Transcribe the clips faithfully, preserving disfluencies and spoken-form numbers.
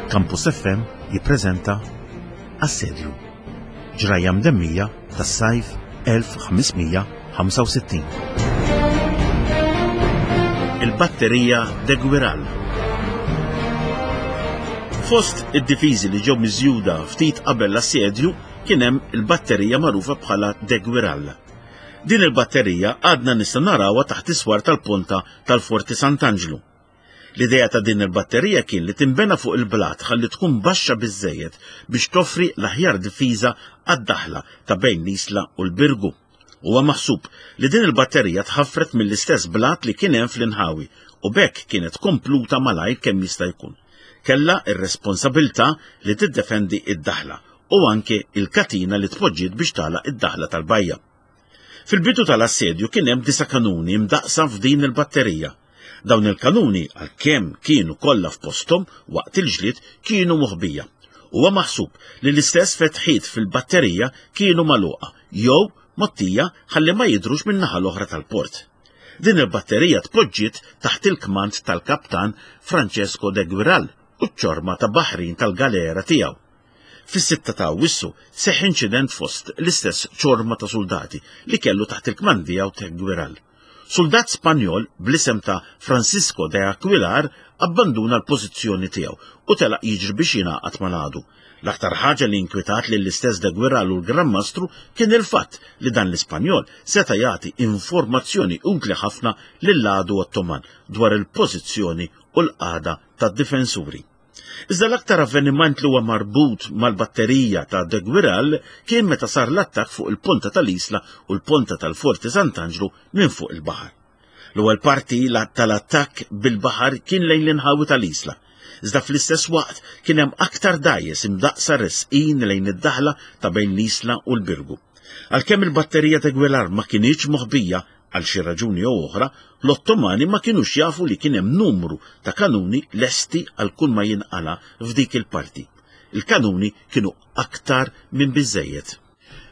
Campus F M jippreżenta Assedju. Ġrajja mdemmija tas-sajf elf u ħames mija u ħamsa u sittin. Il-batterija de Guiral. Fost id-difiżi li ġew miżjuda ftit qabel l-assedju kien hemm il-batterija magħrufa bħala de Guiral. Din il-batterija għadna nista' narawha taħt is-swar tal-ponta tal-Forti Sant'Anġlu. L-idea ta' din il-batterija kien li timbena fuq il-blat ħalli tkun baxxa biżejjed biex toffri l-aħjar difiża għad-daħla ta' bejn l-Isla u l-Birgu. Huwa maħsub li din il-batterija tħaffret mill-istess blat li kien hemm fl-inħawi u b'hekk kienet kompluta malajr kemm jista' jkun. Kella ir-responsabilità li tiddefendi id-daħla u anke il-katina li tpoġġiet biex tagħlaq id-daħla tal-bajja. Fil-bidu tal-assedju kien hemm disa' kanuni mdaqsa f'din il-batterija. Dawn il-kanuni, għalkemm kienu kollha f'posthom waqt il-ġlied, kienu moħbija. Huwa maħsub li l-istess fetħiet fil-batterija kienu magħluqa jew mgħottija ħalli ma jidhrux min-naħa l-oħra tal-port. Din il-batterija tpoġġiet taħt il-kmand tal-kaptan Francesco de Guiral u ċ-ċorma ta' baħrin tal-galera tiegħu. Fis-sitta ta' Awwissu seħ inċident fost l-istess ċorma ta' soldati li kellu taħt il-kmand tiegħu de Guiral. Soldat Spanjol bl-isem ta' Francisco de Aquilar abbanduna l-pożizzjoni tiegħu u telaq jiġri biex jingħaqad mal-għadu. L-aktar ħaġa li inkwitat lill istess de Guiral u l-Gran Mastru kien il-fatt li dan l-Ispanjol seta' jagħti informazzjoni utli ħafna lill-għadu Ottoman dwar il-pożizzjoni u l-qagħda tad-difensuri. Iżda l-aktar avveniment li huwa marbut mal-batterija ta' De Guiral kien meta sar l-attakk fuq il-ponta tal-Isla u l-ponta tal-Forti Sant'Anġlu minn fuq il-baħar. L-ewwel parti tal-attakk bil-baħar kien lejn l-inħawi tal-Isla. Iżda fl-istess waqt kien hemm aktar dgħajjes imdaqsa resqin lejn id-daħla ta' bejn l-Isla u l-Birgu. Għalkemm il-batterija ta' Guiral ma kinitx moħbija, għal xi raġuni jew oħra, l-Ottomani ma kinux jafu li kien hemm numru ta' kanuni lesti għal kull ma jinqala f'dik il-parti. Il-kanuni kienu aktar minn biżejjed.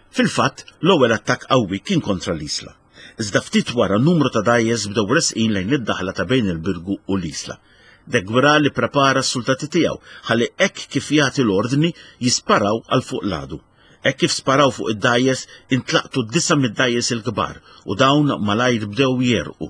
Fil-fatt, l-ewwel attakk qawwi kien kontra l-Isla. Iżda ftit wara numru ta' dgħajjes bdew resqin lejn id-daħla ta' bejn il-Birgu u l-Isla. De Guiral ipprepara s-soldati tiegħu ħalli hekk kif jagħti l-ordni jisparaw għal fuq l-għadu. Hekk kif sparaw fuq id-dgħajjes, intlaqtu disa' mid-dgħajjes il-kbar u dawn malajr bdew jegħrqu.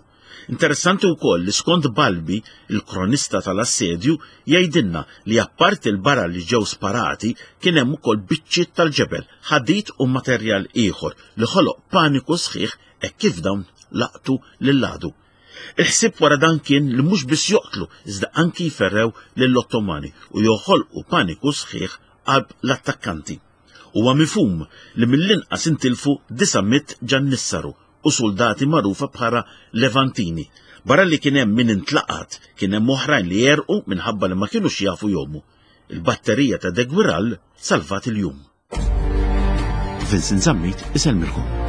Interessanti wkoll li skont Balbi, il-kronista tal-assedju, jgħidilna li apparti il-bara li ġew sparati kien hemm ukoll biċċiet tal-ġebel, ħadid u materjal ieħor li ħoloq paniku sħiħ hekk kif dawn laqtu lill-għadu. Il-ħsieb wara dan kien li mhux biss joqtlu, iżda anki jferrew lill-Ottomani u joħolqu paniku sħiħ qalb l-attakkanti. Huwa mifhum li mill-inqas intilfu disa' mitt ġannissaru u soldati magħrufa bħala Levantini. Barra li kien hemm min intlaqat, kien hemm oħrajn li għerqu minħabba li ma kinux jafu jgħumu. Il-batterija ta' De Guiral salvat il-jum. Vincent Zammit isellmilkom.